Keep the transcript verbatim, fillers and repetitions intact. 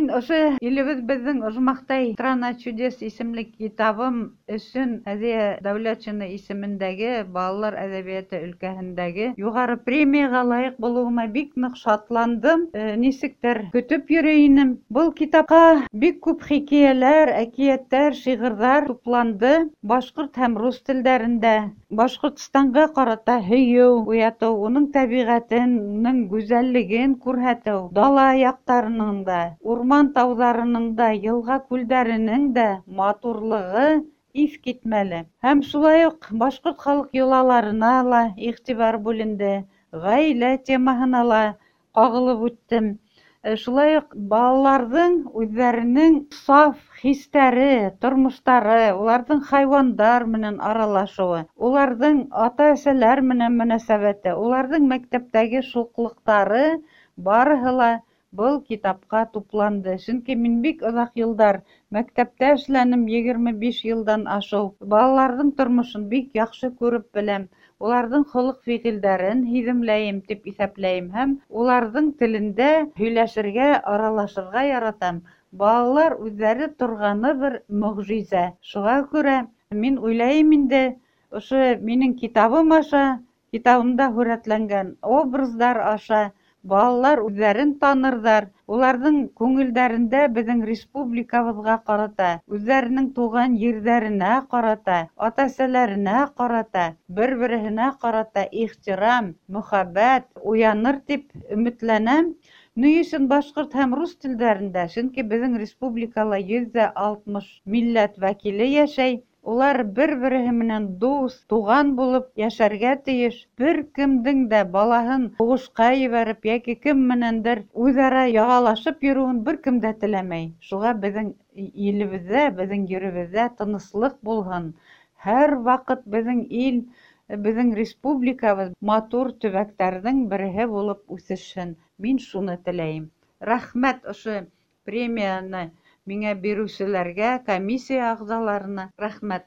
Мин ошо «Илебеҙ беҙҙең ожмахтай страна чудес» исемле китабым өсөн Һәҙиә Дәүләтшина исемендәге балалар әҙәбиәте өлкәһендәге юғары премияға лайыҡ булыуыма бик ныҡ шатландым. Нисектер көтөп йөрөй инем. Был китапҡа бик күп хикәйәләр, әкиәттәр, шиғырҙар тупланды. Башҡорт һәм рус телдәрендә Башҡортостанға ҡарата һөйөү уятыу, уның тәбиғәтенең гүзәллеген күрһәтеү, дала яҡтарының да, урман тауҙарының да, йылға күлдәренең дә матурлығы иҫ китмәле. Һәм шулай уҡ башҡорт халыҡ йолаларына ла иғтибар бүленде, ғаилә темаһына ла ҡағылып үттем. Шулай уҡ балаларҙың үҙҙәренең саф хистәре, тормоштары, уларҙың хайуандар менән аралашыуы, уларҙың ата-әсәләр менән мөнәсәбәте, уларҙың мәктәптәге шуҡлыҡтары барыһы ла был китапҡа тупланды. Сөнки мин бик оҙаҡ йылдар мәктәптә эшләнем, егерме биш йылдан ашыу. Балаларҙың тормошон бик яҡшы күреп беләм. Уларҙың холоҡ-фиғилдәрен һиҙемләйем тип иҫәпләйем һәм уларҙың телендә һөйләшергә, аралашырға яратам. Балалар үҙҙәре торғаны бер мөғжизә. Шуға күрә мин уйлайым инде, ошо минең китабым аша, китабымда һүрәтләнгән образдар аша балалар үҙҙәрен танырҙар, уларҙың күңелдәрендә беҙҙең республикабыҙға ҡарата, үҙҙәренең тыуған ерҙәренә ҡарата, ата-әсәләренә ҡарата, бер-береһенә ҡарата ихтирам, мөхәббәт уяныр тип өмөтләнәм. Ни өсөн башҡорт һәм рус телдәрендә? Сөнки беҙҙең республикала йөҙ ҙә алтмыш милләт вәкиле йәшәй. Улар бер-береһе менән дуҫ, туған булып йәшәргә тейеш. Бер кемдең дә балаһын һуғышҡа ебәреп йәки кем менәндер үҙ-ара яғалашып йөрөүен бер кем дә теләмәй. Шуға беҙҙең илебеҙҙә, беҙҙең еребеҙҙә тыныслыҡ булһын. Һәр ваҡыт беҙҙең ил, беҙҙең республикабыҙ матур төбәктәрҙең береһе булып үҫешһен. Мин шуны теләйем. Рәхмәт ошо премияны миңә биреүселәргә, комиссия ағзаларына рәхмәт.